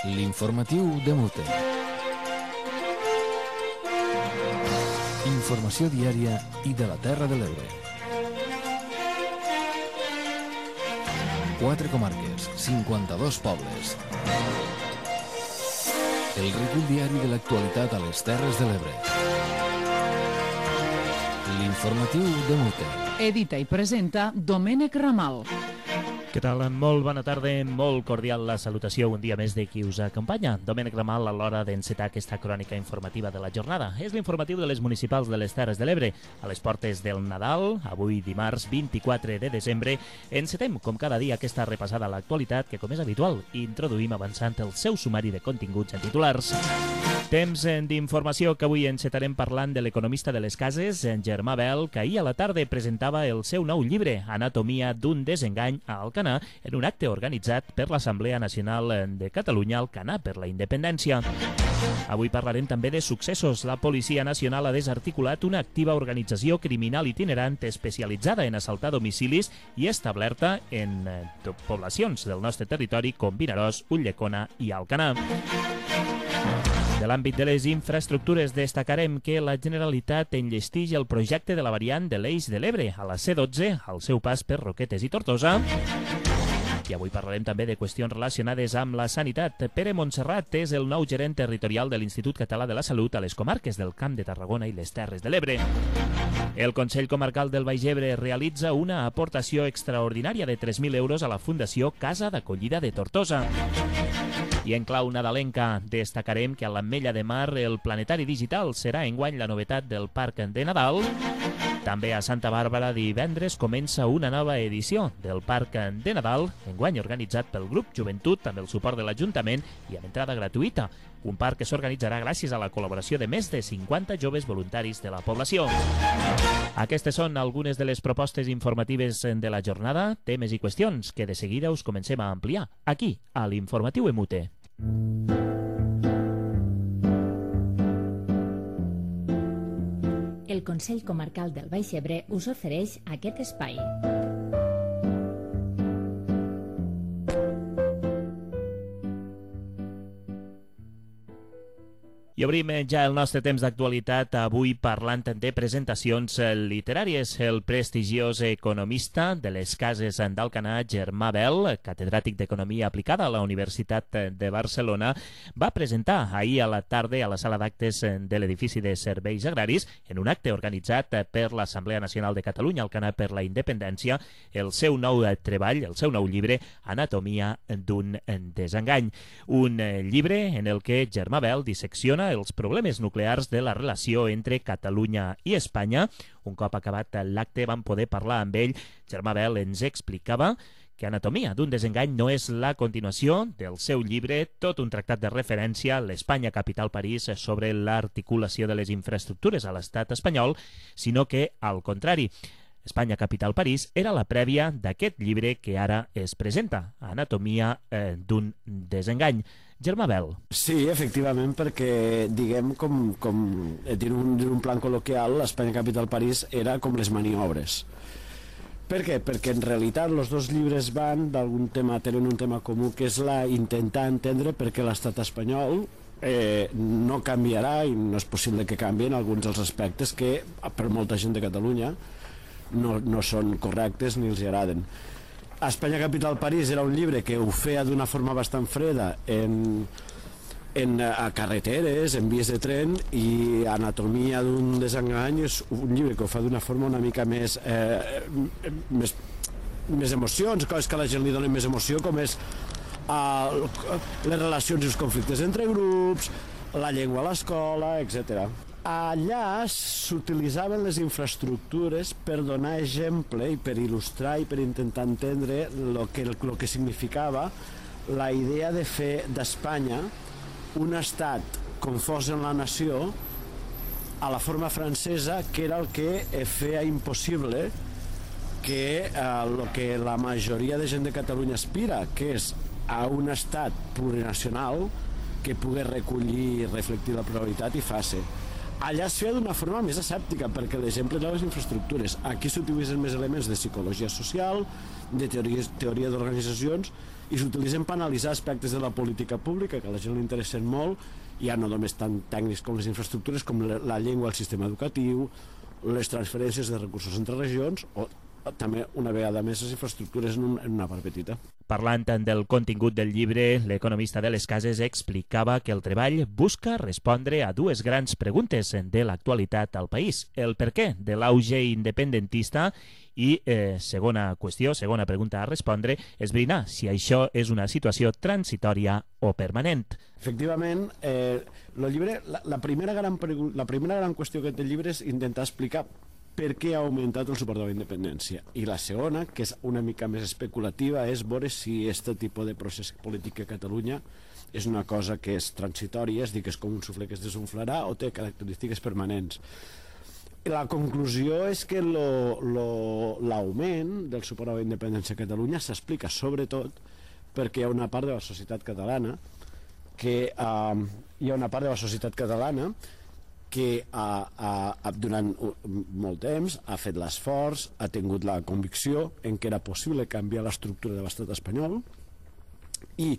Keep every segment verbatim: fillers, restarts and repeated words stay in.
L'informatiu de Mute. Informació diària i de la Terra de l'Ebre. Quatre comarques, cinquanta-dos pobles. El recull diari de l'actualitat a les Terres de l'Ebre. L'informatiu de Mute. Edita i presenta Domènec Ramal. Què tal? Molt bona tarda, molt cordial la salutació un dia més de qui us acompanya. Domènec Ramal a l'hora d'encetar aquesta crònica informativa de la jornada. És l'informatiu de les municipals de les Terres de l'Ebre. A les portes del Nadal, avui dimarts vint-i-quatre de desembre, encetem com cada dia aquesta repassada a l'actualitat que, com és habitual, introduïm avançant el seu sumari de continguts en titulars. Temps d'informació que avui encetarem parlant de l'economista de les cases, Germà Bel, que ahir a la tarda presentava el seu nou llibre, Anatomia d'un desengany a Alcanar, en un acte organitzat per l'Assemblea Nacional de Catalunya, Alcanar per la Independència. Avui parlarem també de successos. La Policia Nacional ha desarticulat una activa organització criminal itinerant especialitzada en assaltar domicilis i establerta en poblacions del nostre territori com Vinaròs, Ulldecona i Alcanar. De l'àmbit de les infraestructures destacarem que la Generalitat enllestix el projecte de la variant de l'Eix de l'Ebre a la C dotze al seu pas per Roquetes i Tortosa. I avui parlarem també de qüestions relacionades amb la sanitat. Pere Montserrat és el nou gerent territorial de l'Institut Català de la Salut a les comarques del Camp de Tarragona i les Terres de l'Ebre. El Consell Comarcal del Baix Ebre realitza una aportació extraordinària de tres mil euros a la Fundació Casa d'Acollida de Tortosa. I en clau nadalenca destacarem que a l'Ametlla de Mar el planetari digital serà enguany la novetat del Parc de Nadal. També a Santa Bàrbara divendres comença una nova edició del Parc de Nadal, enguany organitzat pel grup Joventut amb el suport de l'Ajuntament i amb entrada gratuïta. Un parc que s'organitzarà gràcies a la col·laboració de més de cinquanta joves voluntaris de la població. Aquestes són algunes de les propostes informatives de la jornada, temes i qüestions que de seguida us comencem a ampliar aquí, a l'Informatiu Emute. El Consell Comarcal del Baix Ebre us ofereix aquest espai. I obrim ja el nostre temps d'actualitat avui parlant de presentacions literàries. El prestigiós economista de les cases d'Alcanar, Germà Bel, catedràtic d'Economia Aplicada a la Universitat de Barcelona, va presentar ahir a la tarda a la sala d'actes de l'edifici de Serveis Agraris, en un acte organitzat per l'Assemblea Nacional de Catalunya, Alcanar per la Independència, el seu nou treball, el seu nou llibre, Anatomia d'un desengany. Un llibre en el que Germà Bel dissecciona els problemes nuclears de la relació entre Catalunya i Espanya. Un cop acabat l'acte vam poder parlar amb ell. Germà Bel ens explicava que Anatomia d'un desengany no és la continuació del seu llibre, tot un tractat de referència, l'Espanya capital París, sobre l'articulació de les infraestructures a l'estat espanyol, sinó que, al contrari, Espanya capital París era la prèvia d'aquest llibre que ara es presenta, Anatomia eh, d'un desengany. Germà Bel. Sí, efectivament, perquè, diguem, com, com en un, un plan col·loquial, l'Espanya capital París era com les maniobres. Per què? Perquè en realitat els dos llibres van d'algun tema, tenen un tema comú, que és la intentar entendre per què l'estat espanyol eh, no canviarà, i no és possible que canvien alguns dels aspectes que per molta gent de Catalunya no, no són correctes ni els agraden. Espanya capital París era un llibre que ho feia d'una forma bastant freda en, en, a carreteres, en vies de tren, i Anatomia d'un desengany és un llibre que ho fa d'una forma una mica més, eh, més, més emocions, coses que a la gent li donen més emoció, com és eh, les relacions i els conflictes entre grups, la llengua a l'escola, etcètera. Allà s'utilitzaven les infraestructures per donar exemple i per il·lustrar i per intentar entendre el que, el que significava la idea de fer d'Espanya un estat confós en la nació a la forma francesa, que era el que feia impossible que el eh, que la majoria de gent de Catalunya aspira, que és a un estat plurinacional que pugui recollir i reflectir la pluralitat i fer-se. Allà es feia d'una forma més escèptica, perquè l'exemple de les infraestructures. Aquí s'utilitzen més elements de psicologia social, de teoria, teoria d'organitzacions, i s'utilitzen per analitzar aspectes de la política pública que a la gent li interessen molt, ja no només tan tècnics com les infraestructures, com la llengua, el sistema educatiu, les transferències de recursos entre regions, o també una vegada més les infraestructures en, un, en una part petita. Parlant del contingut del llibre, l'economista de les Cases explicava que el treball busca respondre a dues grans preguntes de l'actualitat al país. El per què de l'auge independentista i, eh, segona qüestió, segona pregunta a respondre, esbrinar si això és una situació transitòria o permanent. Efectivament, eh, el llibre, la, la, primera gran, la primera gran qüestió que té el llibre és intentar explicar per què ha augmentat el suport a la independència. I la segona, que és una mica més especulativa, és veure si aquest tipus de procés polític a Catalunya és una cosa que és transitòria, és dir, que és com un suflé que es desunflarà, o té característiques permanents. La conclusió és que l'augment del suport a la independència a Catalunya s'explica sobretot perquè hi ha una part de la societat catalana que eh, hi ha una part de la societat catalana que ha, ha, durant molt temps ha fet l'esforç, ha tingut la convicció en què era possible canviar l'estructura de l'estat espanyol, i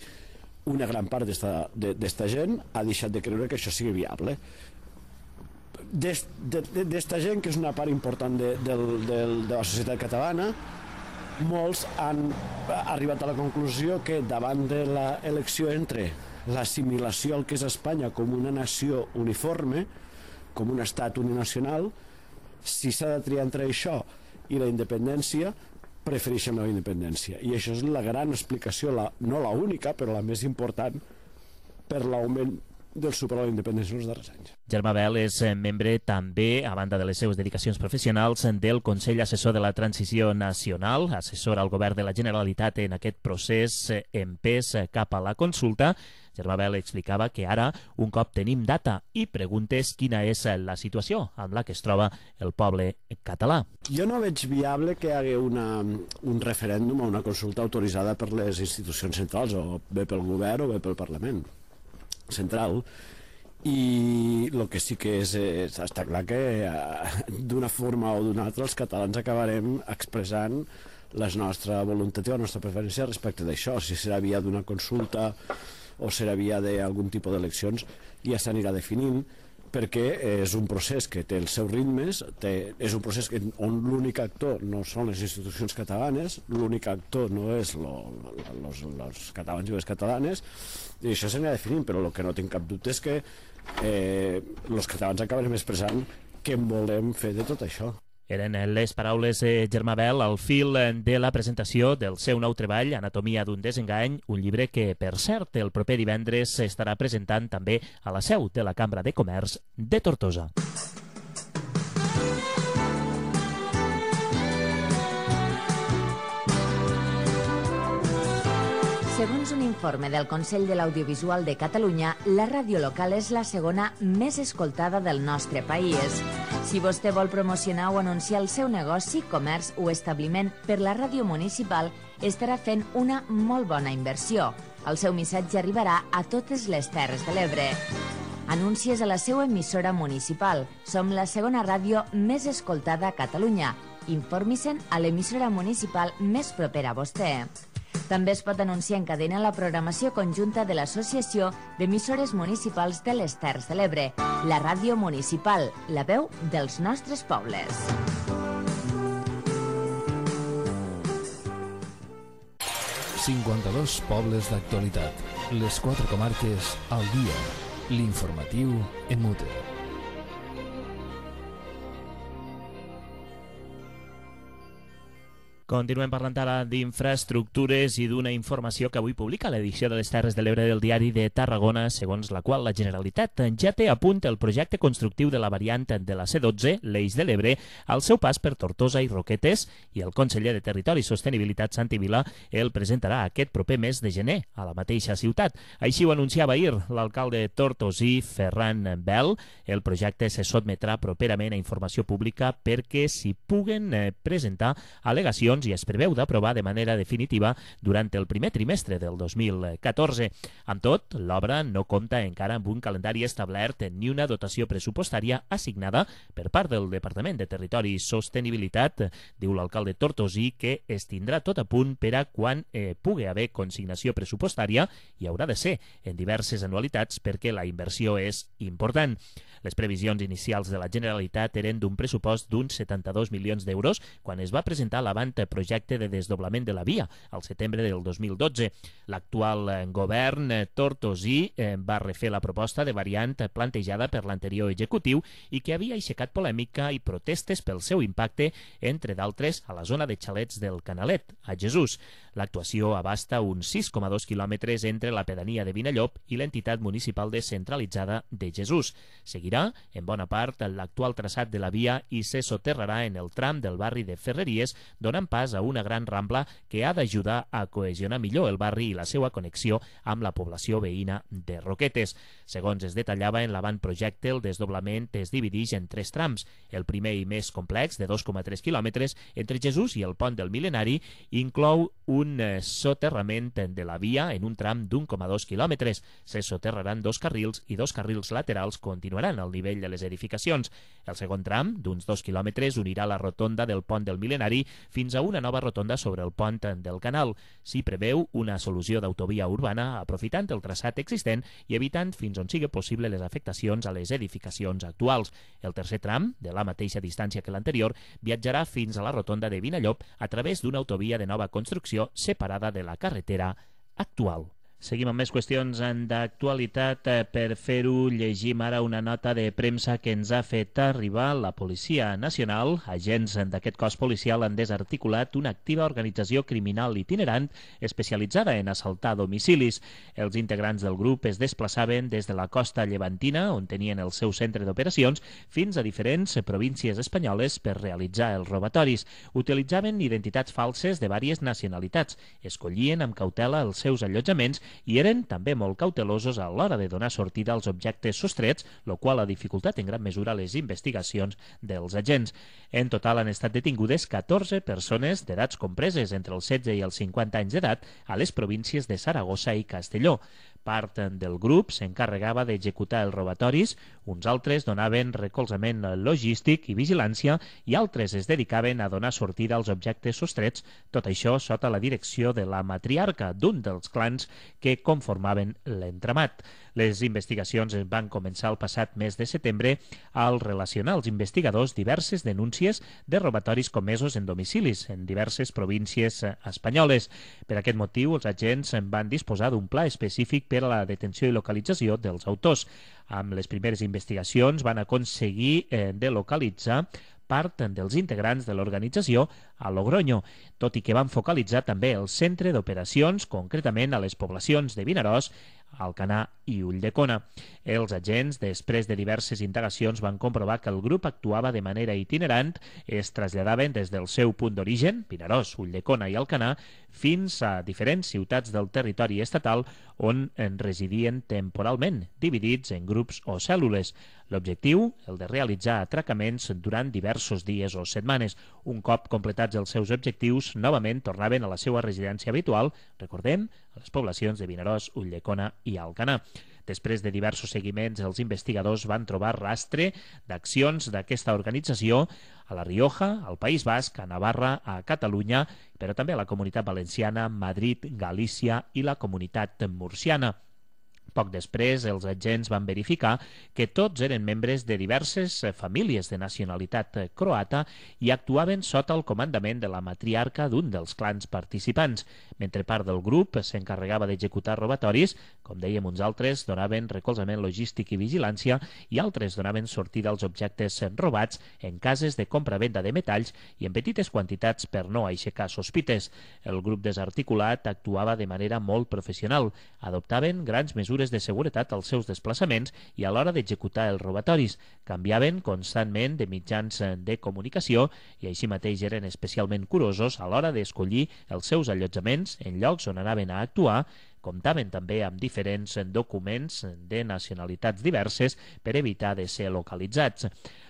una gran part d'esta gent ha deixat de creure que això sigui viable. D'esta gent, que és una part important de, de, de, de la societat catalana, molts han arribat a la conclusió que davant de l'elecció entre l'assimilació al que és Espanya com una nació uniforme, com un estat uninacional, si s'ha de triar entre això i la independència, prefereixen la independència. I això és la gran explicació, la, no la única, però la més important per l'augment del suport a la independència en els darrers anys. Germà Bel és membre també, a banda de les seves dedicacions professionals, del Consell Assessor de la Transició Nacional, assessora al Govern de la Generalitat en aquest procés empès cap a la consulta. Germà Bel explicava que ara, un cop tenim data i preguntes, quina és la situació amb la que es troba el poble català. Jo no veig viable que hi hagi una, un referèndum o una consulta autoritzada per les institucions centrals, o bé pel govern o bé pel Parlament central, i el que sí que és, és està clar que d'una forma o d'una altra els catalans acabarem expressant la nostra voluntat i la nostra preferència respecte d'això. Si serà via d'una consulta o serà via d'algun tipus d'eleccions, ja s'anirà definint, perquè és un procés que té els seus ritmes, té, és un procés que, on l'únic actor no són les institucions catalanes, l'únic actor no és els catalans i les catalanes, i això s'anirà definint, però el que no tinc cap dubte és que eh, els catalans acabarem expressant què volem fer de tot això. Eren les paraules de Germà Bel al fil de la presentació del seu nou treball, Anatomia d'un desengany, un llibre que, per cert, el proper divendres s'estarà presentant també a la seu de la Cambra de Comerç de Tortosa. Segons un informe del Consell de l'Audiovisual de Catalunya, la ràdio local és la segona més escoltada del nostre país. Si vostè vol promocionar o anunciar el seu negoci, comerç o establiment per la ràdio municipal, estarà fent una molt bona inversió. El seu missatge arribarà a totes les Terres de l'Ebre. Anuncies a la seva emissora municipal. Som la segona ràdio més escoltada a Catalunya. Informi-se'n a l'emissora municipal més propera a vostè. També es pot anunciar en cadena la programació conjunta de l'Associació d'Emissores Municipals de les Terres de l'Ebre, la ràdio municipal, la veu dels nostres pobles. cinquanta-dos pobles d'actualitat. Les quatre comarques al dia. L'informatiu Emute. Continuem parlant ara d'infraestructures i d'una informació que avui publica l'edició de les Terres de l'Ebre del Diari de Tarragona, segons la qual la Generalitat ja té a punt el projecte constructiu de la variant de la C dotze, l'Eix de l'Ebre, al seu pas per Tortosa i Roquetes, i el conseller de Territori i Sostenibilitat, Santi Vila, el presentarà aquest proper mes de gener a la mateixa ciutat. Així ho anunciava ahir l'alcalde tortosí, Ferran Bel. El projecte se sotmetrà properament a informació pública perquè s'hi puguen presentar al·legacions licitacions i es preveu d'aprovar de manera definitiva durant el primer trimestre del dos mil catorze. Amb tot, l'obra no compta encara amb un calendari establert ni una dotació pressupostària assignada per part del Departament de Territori i Sostenibilitat. Diu l'alcalde Tortosí que es tindrà tot a punt per a quan eh, pugui haver consignació pressupostària i haurà de ser en diverses anualitats perquè la inversió és important. Les previsions inicials de la Generalitat eren d'un pressupost d'uns setanta-dos milions d'euros quan es va presentar l'avantprojecte de desdoblament de la via al setembre del dos mil dotze. L'actual govern tortosí va refer la proposta de variant plantejada per l'anterior executiu i que havia aixecat polèmica i protestes pel seu impacte, entre d'altres, a la zona de xalets del Canalet, a Jesús. L'actuació abasta uns sis coma dos quilòmetres entre la pedania de Vinallop i l'entitat municipal descentralitzada de Jesús. Seguirà, en bona part, l'actual traçat de la via i se soterrarà en el tram del barri de Ferreries, donant pas a una gran rambla que ha d'ajudar a cohesionar millor el barri i la seva connexió amb la població veïna de Roquetes. Segons es detallava en l'avantprojecte, el desdoblament es divideix en tres trams. El primer i més complex, de dos coma tres quilòmetres, entre Jesús i el pont del Mil·lenari, inclou un soterrament de la via en un tram d'un coma dos quilòmetres. Se soterraran dos carrils i dos carrils laterals continuaran al nivell de les edificacions. El segon tram, d'uns dos quilòmetres, unirà la rotonda del pont del Mil·lenari fins a una nova rotonda sobre el pont del Canal. S'hi preveu una solució d'autovia urbana aprofitant el traçat existent i evitant fins on sigui possible les afectacions a les edificacions actuals. El tercer tram, de la mateixa distància que l'anterior, viatjarà fins a la rotonda de Vinallop a través d'una autovia de nova construcció separada de la carretera actual. Seguim amb més qüestions d'actualitat. Per fer-ho, llegim ara una nota de premsa que ens ha fet arribar la Policia Nacional. Agents d'aquest cos policial han desarticulat una activa organització criminal itinerant especialitzada en assaltar domicilis. Els integrants del grup es desplaçaven des de la costa llevantina, on tenien el seu centre d'operacions, fins a diferents províncies espanyoles per realitzar els robatoris. Utilitzaven identitats falses de diverses nacionalitats, escollien amb cautela els seus allotjaments i eren també molt cautelosos a l'hora de donar sortida als objectes sostrets, el qual ha dificultat en gran mesura les investigacions dels agents. En total han estat detingudes catorze persones d'edats compreses entre els setze i els cinquanta anys d'edat a les províncies de Saragossa i Castelló. Part del grup s'encarregava d'executar els robatoris, uns altres donaven recolzament logístic i vigilància i altres es dedicaven a donar sortida als objectes sostrets, tot això sota la direcció de la matriarca d'un dels clans que conformaven l'entramat. Les investigacions es van començar el passat mes de setembre al relacionar als investigadors diverses denúncies de robatoris comesos en domicilis en diverses províncies espanyoles. Per aquest motiu, els agents van disposar d'un pla específic per a la detenció i localització dels autors. Amb les primeres investigacions van aconseguir eh, de localitzar part dels integrants de l'organització a Logroño, tot i que van focalitzar també el centre d'operacions, concretament a les poblacions de Vinaròs, Alcanar i Ulldecona. Els agents, després de diverses indagacions, van comprovar que el grup actuava de manera itinerant, es traslladaven des del seu punt d'origen, Vinaròs, Ulldecona i Alcanar, fins a diferents ciutats del territori estatal on en residien temporalment, dividits en grups o cèl·lules. L'objectiu, el de realitzar atracaments durant diversos dies o setmanes. Un cop completats els seus objectius, novament tornaven a la seva residència habitual, recordem, a les poblacions de Vinaròs, Ulldecona i Alcanar. Després de diversos seguiments, els investigadors van trobar rastre d'accions d'aquesta organització a La Rioja, al País Basc, a Navarra, a Catalunya, però també a la Comunitat Valenciana, Madrid, Galícia i la Comunitat Murciana. Poc després, els agents van verificar que tots eren membres de diverses famílies de nacionalitat croata i actuaven sota el comandament de la matriarca d'un dels clans participants. Mentre part del grup s'encarregava d'executar robatoris, com dèiem, uns altres donaven recolzament logístic i vigilància i altres donaven sortida als objectes robats en cases de compra-venda de metalls i en petites quantitats per no aixecar sospites. El grup desarticulat actuava de manera molt professional. Adoptaven grans mesures de seguretat als seus desplaçaments i a l'hora d'executar els robatoris. Canviaven constantment de mitjans de comunicació i així mateix eren especialment curosos a l'hora d'escollir els seus allotjaments en llocs on anaven a actuar. Comptaven també amb diferents documents de nacionalitats diverses per evitar de ser localitzats.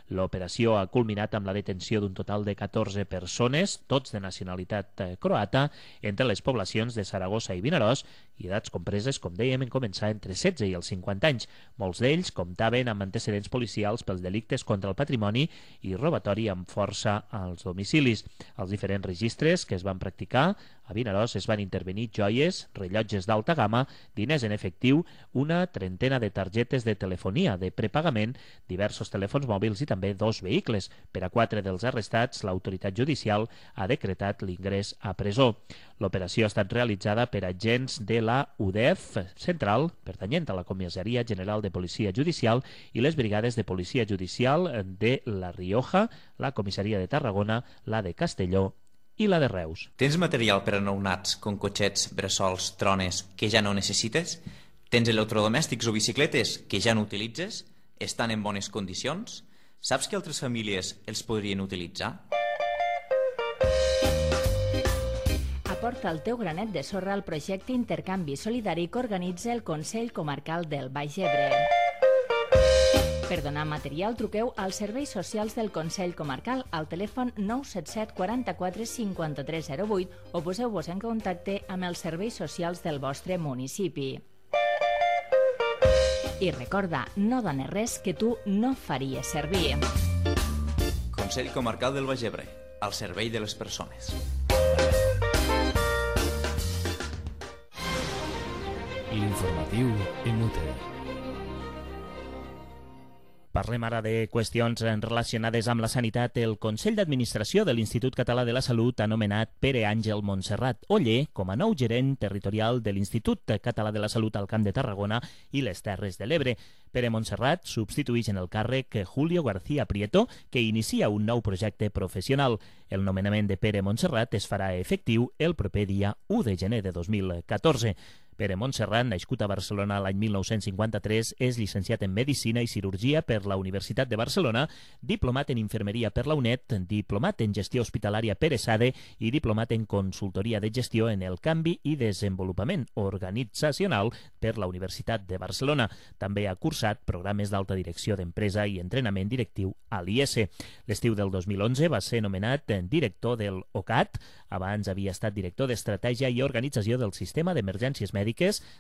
L'operació ha culminat amb la detenció d'un total de catorze persones, tots de nacionalitat croata, entre les poblacions de Saragossa i Vinaròs, i edats compreses, com dèiem, en començar entre setze i els cinquanta anys. Molts d'ells comptaven amb antecedents policials pels delictes contra el patrimoni i robatori amb força als domicilis. Els diferents registres que es van practicar a Vinaròs es van intervenir joies, rellotges d'alta gamma, diners en efectiu, una trentena de targetes de telefonia de prepagament, diversos telèfons mòbils i també dos vehicles. Per a quatre dels arrestats, l'autoritat judicial ha decretat l'ingrés a presó. L'operació ha estat realitzada per agents de la U D E F central, pertanyent a la Comissaria General de Policia Judicial, i les brigades de Policia Judicial de La Rioja, la Comissaria de Tarragona, la de Castelló i la de Reus. Tens material per a nounats com cotxets, bressols, trones que ja no necessites? Tens electrodomèstics o bicicletes que ja no utilitzes? Estan en bones condicions? Saps que altres famílies els podrien utilitzar? Aporta el teu granet de sorra al projecte Intercanvi Solidari que organitza el Consell Comarcal del Baix Ebre. Per donar material, truqueu als serveis socials del Consell Comarcal al telèfon nou set set quaranta-quatre cinquanta-tres zero vuit o poseu-vos en contacte amb els serveis socials del vostre municipi. I recorda, no dones res que tu no faries servir. Consell Comarcal del Baix Ebre, al servei de les persones. L'informatiu Inútil. Parlem ara de qüestions relacionades amb la sanitat. El Consell d'Administració de l'Institut Català de la Salut ha nomenat Pere Àngel Montserrat Oller com a nou gerent territorial de l'Institut Català de la Salut al Camp de Tarragona i les Terres de l'Ebre. Pere Montserrat substitueix en el càrrec Julio García Prieto, que inicia un nou projecte professional. El nomenament de Pere Montserrat es farà efectiu el proper dia u de gener de dos mil catorze. Pere Montserrat, nascut a Barcelona l'any mil nou-cents cinquanta-tres, és llicenciat en Medicina i Cirurgia per la Universitat de Barcelona, diplomat en Infermeria per la UNED, diplomat en Gestió Hospitalària per ESADE i diplomat en Consultoria de Gestió en el Canvi i Desenvolupament Organitzacional per la Universitat de Barcelona. També ha cursat programes d'alta direcció d'empresa i entrenament directiu a l'I E S. L'estiu del dos mil onze va ser nomenat director del O C A T, abans havia estat director d'Estratègia i Organització del Sistema d'Emergències Mèdiques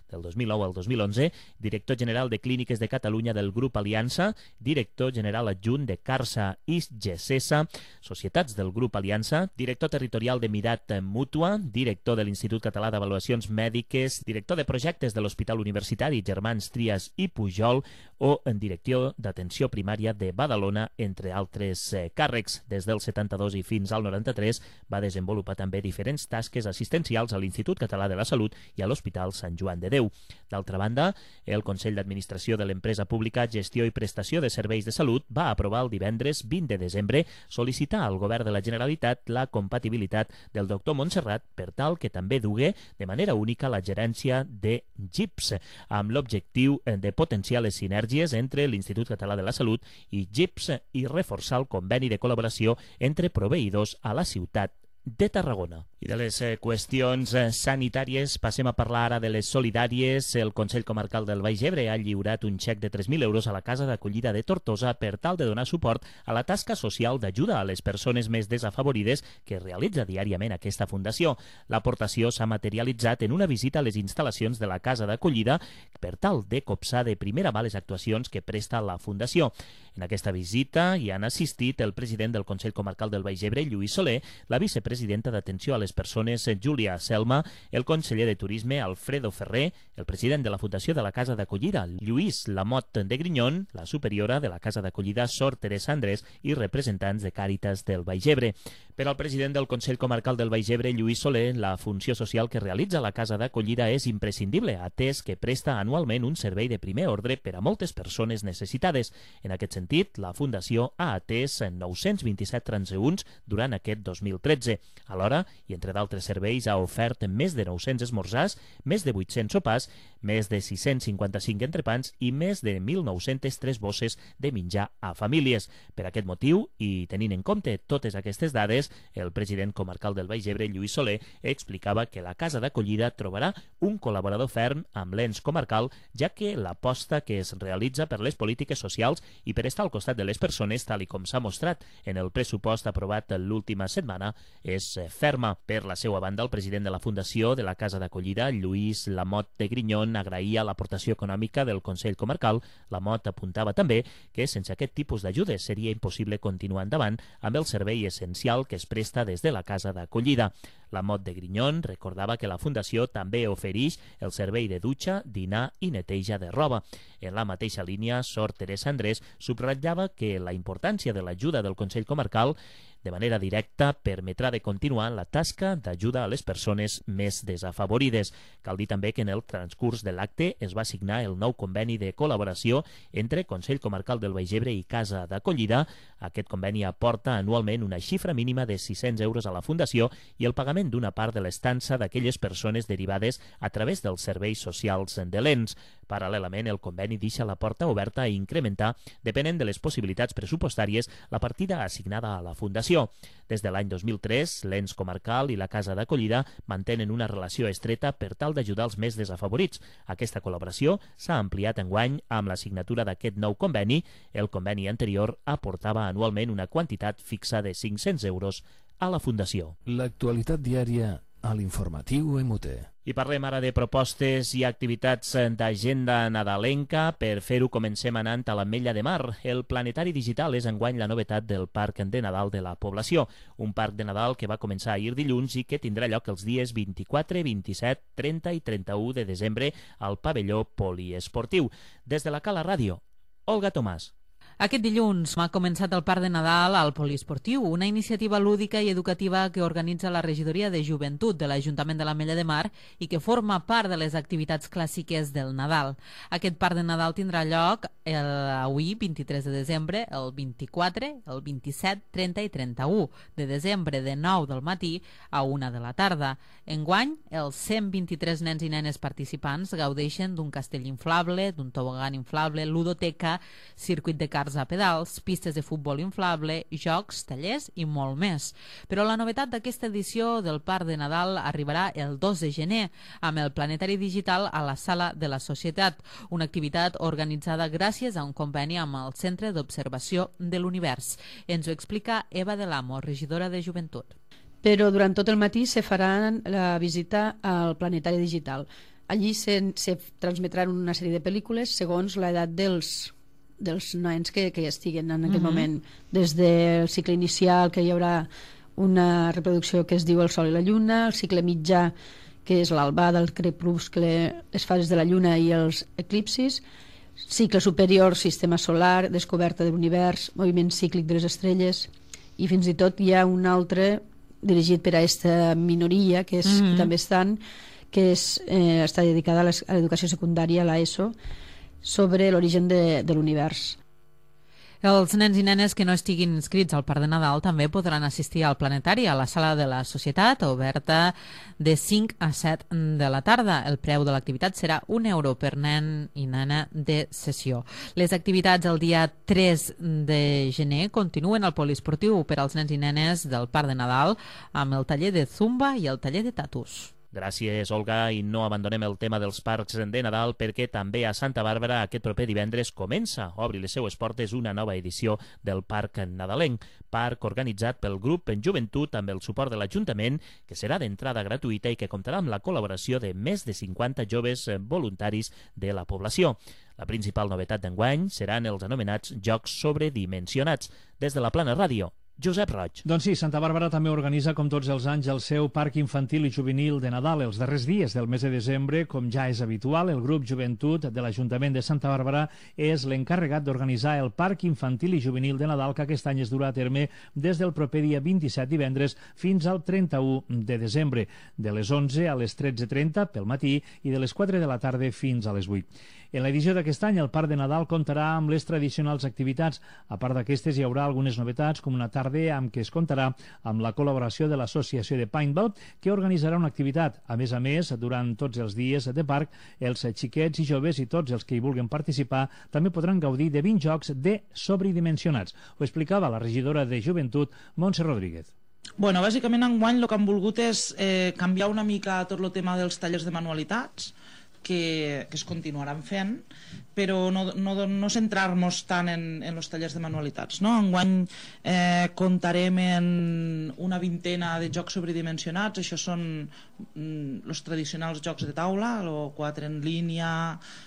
del dos mil nou al dos mil onze, director general de Clíniques de Catalunya del Grup Aliança, director general adjunt de Carsa i Gesesa, societats del Grup Aliança, director territorial de Mirat Mútua, director de l'Institut Català d'Avaluacions Mèdiques, director de projectes de l'Hospital Universitari Germans Trias i Pujol o en direcció d'Atenció Primària de Badalona, entre altres eh, càrrecs. Des del setanta-dos i fins al noranta-tres va desenvolupar també diferents tasques assistencials a l'Institut Català de la Salut i a l'Hospital Sant Joan de Déu. D'altra banda, el Consell d'Administració de l'Empresa Pública Gestió i Prestació de Serveis de Salut va aprovar el divendres vint de desembre sol·licitar al Govern de la Generalitat la compatibilitat del doctor Montserrat per tal que també dugue de manera única la gerència de G I P S, amb l'objectiu de potenciar les sinergies entre l'Institut Català de la Salut i G I P S i reforçar el conveni de col·laboració entre proveïdors a la ciutat de Tarragona. I de les eh, qüestions eh, sanitàries passem a parlar ara de les solidàries. El Consell Comarcal del Baix Ebre ha lliurat un xec de tres mil euros a la Casa d'Acollida de Tortosa per tal de donar suport a la tasca social d'ajuda a les persones més desafavorides que realitza diàriament aquesta fundació. L'aportació s'ha materialitzat en una visita a les instal·lacions de la Casa d'Acollida per tal de copsar de primera mà les actuacions que presta la fundació. En aquesta visita hi han assistit el president del Consell Comarcal del Baix Ebre, Lluís Soler, la vicepresidenta d'Atenció a les Persones, Júlia Selma, el conseller de Turisme, Alfredo Ferrer, el president de la Fundació de la Casa d'Acollida, Lluís Lamot de Grinyon, la superiora de la Casa d'Acollida, Sor Teresa Andrés, i representants de Càritas del Baix Ebre. Per al president del Consell Comarcal del Baix Ebre, Lluís Soler, la funció social que realitza la Casa d'Acollida és imprescindible, atès que presta anualment un servei de primer ordre per a moltes persones necessitades. En aquest sentit, la Fundació ha atès nou-cents vint-i-set transeünts durant aquest dos mil tretze. Alhora, i entre d'altres serveis, ha ofert més de nou-cents esmorzars, més de vuit-cents sopars, més de sis-cents cinquanta-cinc entrepans i més de mil nou-cents tres bosses de menjar a famílies. Per aquest motiu, i tenint en compte totes aquestes dades, el president comarcal del Baix Ebre, Lluís Soler, explicava que la Casa d'Acollida trobarà un col·laborador ferm amb l'ens comarcal, ja que l'aposta que es realitza per les polítiques socials i per està al costat de les persones, tal i com s'ha mostrat en el pressupost aprovat l'última setmana, és ferma. Per la seva banda, el president de la Fundació de la Casa d'Acollida, Lluís Lamot de Grignon, agraïa l'aportació econòmica del Consell Comarcal. Lamot apuntava també que sense aquest tipus d'ajudes seria impossible continuar endavant amb el servei essencial que es presta des de la Casa d'Acollida. Lamot de Grignon recordava que la Fundació també ofereix el servei de dutxa, dinar i neteja de roba. En la mateixa línia, Sor Teresa Andrés subratllava que la importància de l'ajuda del Consell Comarcal de manera directa permetrà de continuar la tasca d'ajuda a les persones més desafavorides. Cal dir també que en el transcurs de l'acte es va signar el nou conveni de col·laboració entre Consell Comarcal del Baix Ebre i Casa d'Acollida. Aquest conveni aporta anualment una xifra mínima de sis-cents euros a la Fundació i el pagament d'una part de l'estança d'aquelles persones derivades a través dels serveis socials de l'ens. Paral·lelament, el conveni deixa la porta oberta a incrementar, depenent de les possibilitats pressupostàries, la partida assignada a la Fundació. Des de l'any dos mil tres, l'ens comarcal i la Casa d'Acollida mantenen una relació estreta per tal d'ajudar els més desafavorits. Aquesta col·laboració s'ha ampliat enguany amb la signatura d'aquest nou conveni. El conveni anterior aportava anualment una quantitat fixa de cinc-cents euros a la Fundació. L'actualitat diària a l'informatiu M T. I parlem ara de propostes i activitats d'agenda nadalenca. Per fer-ho comencem anant a l'Ametlla de Mar. El planetari digital és enguany la novetat del Parc de Nadal de la població. Un parc de Nadal que va començar ahir dilluns i que tindrà lloc els dies vint-i-quatre, vint-i-set, trenta i trenta-u de desembre al pavelló poliesportiu. Des de la Cala Ràdio, Olga Tomàs. Aquest dilluns ha començat el Parc de Nadal al Poliesportiu, una iniciativa lúdica i educativa que organitza la Regidoria de Joventut de l'Ajuntament de l'Ametlla de Mar i que forma part de les activitats clàssiques del Nadal. Aquest Parc de Nadal tindrà lloc el, avui, vint-i-tres de desembre, el vint-i-quatre, el vint-i-set, trenta i trenta-u de desembre, de nou del matí a una de la tarda. Enguany, els cent vint-i-tres nens i nenes participants gaudeixen d'un castell inflable, d'un tobogan inflable, ludoteca, circuit de cars a pedals, pistes de futbol inflable, jocs, tallers i molt més. Però la novetat d'aquesta edició del Parc de Nadal arribarà el dos de gener amb el planetari digital a la Sala de la Societat, una activitat organitzada gràcies a un conveni amb el Centre d'Observació de l'Univers. Ens ho explica Eva de l'Amo, regidora de Joventut. Però durant tot el matí se farà la visita al planetari digital. Allí se, se transmetran una sèrie de pel·lícules segons l'edat dels dels nens que, que estiguen en aquest uh-huh. moment, des del cicle inicial, que hi haurà una reproducció que es diu El Sol i la Lluna, el cicle mitjà, que és l'albà del crepuscle, les fases de la Lluna i els eclipsis, cicle superior, sistema solar, descoberta de l'univers, moviment cíclic de les estrelles, i fins i tot hi ha un altre dirigit per a aquesta minoria, que, és, uh-huh. que també estan, que és, eh, està dedicada a l'educació secundària, a l'ESO, sobre l'origen de, de l'univers. Els nens i nenes que no estiguin inscrits al Parc de Nadal també podran assistir al planetari a la Sala de la Societat, oberta de cinc a set de la tarda. El preu de l'activitat serà un euro per nen i nena de sessió. Les activitats el dia tres de gener continuen al poliesportiu per als nens i nenes del Parc de Nadal amb el taller de zumba i el taller de tatus. Gràcies, Olga, i no abandonem el tema dels parcs de Nadal perquè també a Santa Bàrbara aquest proper divendres comença a obrir les seues portes una nova edició del Parc Nadalenc, parc organitzat pel grup en Joventut amb el suport de l'Ajuntament, que serà d'entrada gratuïta i que comptarà amb la col·laboració de més de cinquanta joves voluntaris de la població. La principal novetat d'enguany seran els anomenats Jocs Sobredimensionats. Des de la Plana Ràdio, Josep Roig. Doncs sí, Santa Bàrbara també organitza, com tots els anys, el seu Parc Infantil i Juvenil de Nadal. Els darrers dies del mes de desembre, com ja és habitual, el grup Joventut de l'Ajuntament de Santa Bàrbara és l'encarregat d'organitzar el Parc Infantil i Juvenil de Nadal, que aquest any es durà a terme des del proper dia vint-i-set divendres fins al trenta-u de desembre, de les onze a les tretze trenta pel matí i de les quatre de la tarda fins a les vuit. En l'edició d'aquest any, el Parc de Nadal comptarà amb les tradicionals activitats. A part d'aquestes, hi haurà algunes novetats, com una tarda amb què es comptarà amb la col·laboració de l'Associació de Paintball, que organitzarà una activitat. A més a més, durant tots els dies de parc, els xiquets i joves i tots els que hi vulguin participar també podran gaudir de vint jocs de sobredimensionats. Ho explicava la regidora de Joventut, Montse Rodríguez. Bueno, bàsicament enguany el que han volgut és eh, canviar una mica tot el tema dels tallers de manualitats. que, que es continuaran fent, però no, no, no centrar-nos tant en, en els tallers de manualitats, no? Enguany eh, comptarem en una vintena de jocs sobredimensionats. Això són mm, els tradicionals jocs de taula, o quatre en línia,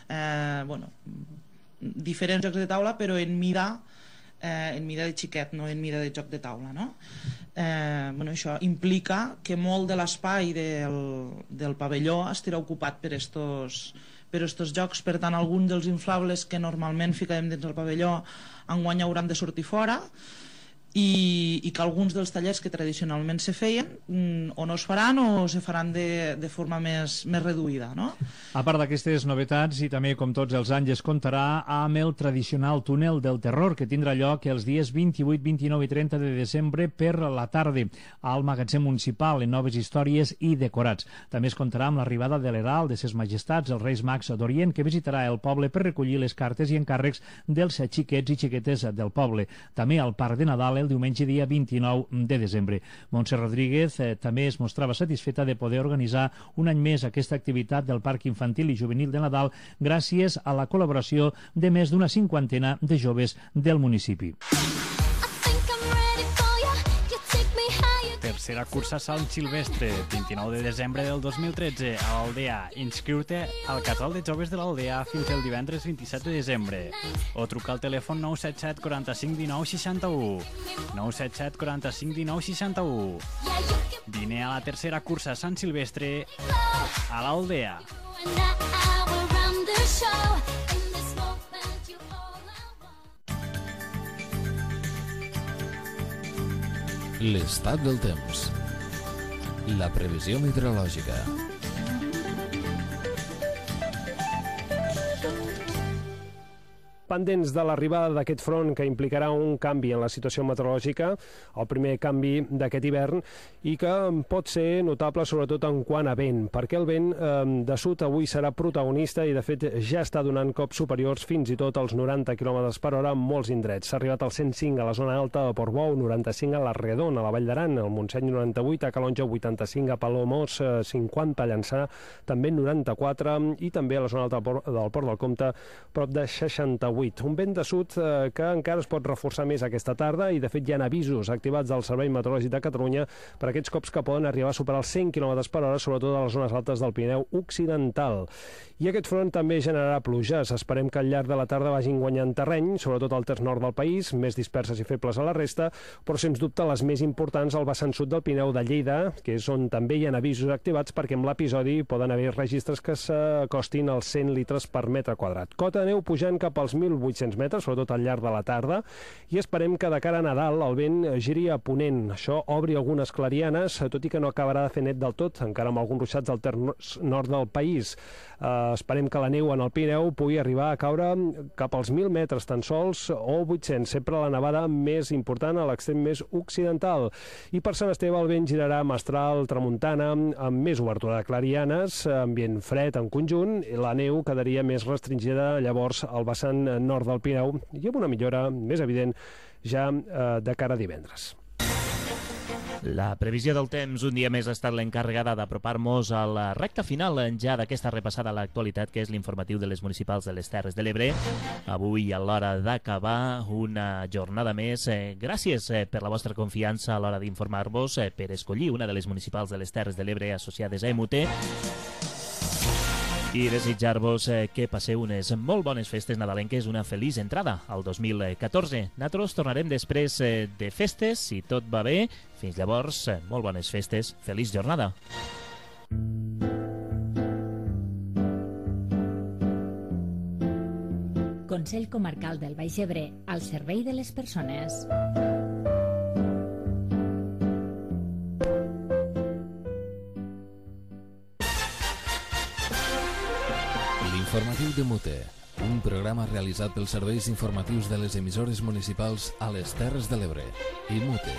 eh, bueno, diferents jocs de taula, però en mida Eh, en mida de xiquet, no en mida de joc de taula, no? Eh, bueno, això implica que molt de l'espai del, del pavelló estarà ocupat per estos, per estos jocs. Per tant, alguns dels inflables que normalment ficarem dins del pavelló enguany hauran de sortir fora, i, i que alguns dels tallers que tradicionalment se feien mm, o no es faran o se faran de, de forma més, més reduïda, no? A part d'aquestes novetats, i també com tots els anys es comptarà amb el tradicional túnel del terror, que tindrà lloc els dies vint-i-vuit, vint-i-nou i trenta de desembre per la tarda al magatzem municipal en noves històries i decorats. També es comptarà amb l'arribada de l'Herald de ses Majestats, els Reis Mags d'Orient, que visitarà el poble per recollir les cartes i encàrrecs dels xiquets i xiquetes del poble. També al Parc de Nadal el diumenge dia vint-i-nou de desembre. Montse Rodríguez eh, també es mostrava satisfeta de poder organitzar un any més aquesta activitat del Parc Infantil i Juvenil de Nadal gràcies a la col·laboració de més d'una cinquantena de joves del municipi. Tercera cursa Sant Silvestre, vint-i-nou de desembre del dos mil tretze, a l'Aldea. Inscriu-te al casal de joves de l'Aldea fins el divendres vint-i-set de desembre. O truca al telèfon nou set set quaranta-cinc dinou seixanta-u. nou set set quaranta-cinc dinou seixanta-u. Vine a la tercera cursa Sant Silvestre a l'Aldea. L'estat del temps. La previsió meteorològica. Pendents de l'arribada d'aquest front que implicarà un canvi en la situació meteorològica, el primer canvi d'aquest hivern, i que pot ser notable sobretot en quant a vent, perquè el vent eh, de sud avui serà protagonista i de fet ja està donant cops superiors fins i tot als noranta quilòmetres per hora en molts indrets. S'ha arribat al cent cinc a la zona alta de Portbou, noranta-cinc a la Redona, a la Vall d'Aran, al Montseny noranta-vuit, a Calonja vuitanta-cinc, a Palamós cinquanta, a Llançà també noranta-quatre i també a la zona alta del Port del Comte prop de seixanta-vuit. Un vent de sud eh, que encara es pot reforçar més aquesta tarda i de fet hi ha avisos activats del Servei Meteorològic de Catalunya per aquests cops que poden arribar a superar els cent quilòmetres per hora, sobretot a les zones altes del Pirineu Occidental. I aquest front també generarà pluges. Esperem que al llarg de la tarda vagin guanyant terreny, sobretot al terç nord del país, més disperses i febles a la resta, però sens dubte les més importants al vessant sud del Pirineu de Lleida, que és on també hi ha avisos activats perquè amb l'episodi poden haver registres que s'acostin als cent litres per metre quadrat. Cota de neu pujant cap als mil vuit-cents metres, sobretot al llarg de la tarda, i esperem que de cara a Nadal el vent giri a ponent. Això obri algunes clarianes, tot i que no acabarà de fer net del tot, encara amb alguns ruixats al terç nord del país. Uh, esperem que la neu en el Pirineu pugui arribar a caure cap als mil metres tan sols o vuit-cents, sempre la nevada més important a l'extrem més occidental. I per Sant Esteve el vent girarà mestral, tramuntana, amb més obertura de clarianes, ambient fred en conjunt, i la neu quedaria més restringida llavors al vessant nord del Pirineu i amb una millora més evident ja eh, de cara a divendres. La previsió del temps un dia més ha estat l'encarregada d'apropar-nos a la recta final ja d'aquesta repassada a l'actualitat, que és l'informatiu de les municipals de les Terres de l'Ebre. Avui, a l'hora d'acabar una jornada més, eh, gràcies eh, per la vostra confiança a l'hora d'informar-vos, eh, per escollir una de les municipals de les Terres de l'Ebre associades a E M U T, i desitjar-vos eh, que passeu unes molt bones festes nadalenques, una feliç entrada al dos mil catorze. Nosaltres tornarem després eh, de festes, si tot va bé. Fins llavors, eh, molt bones festes, feliç jornada. Consell Comarcal del Baix Ebre, al servei de les persones. Informatiu de Mute, un programa realitzat pels serveis informatius de les emissores municipals a les Terres de l'Ebre i Mute.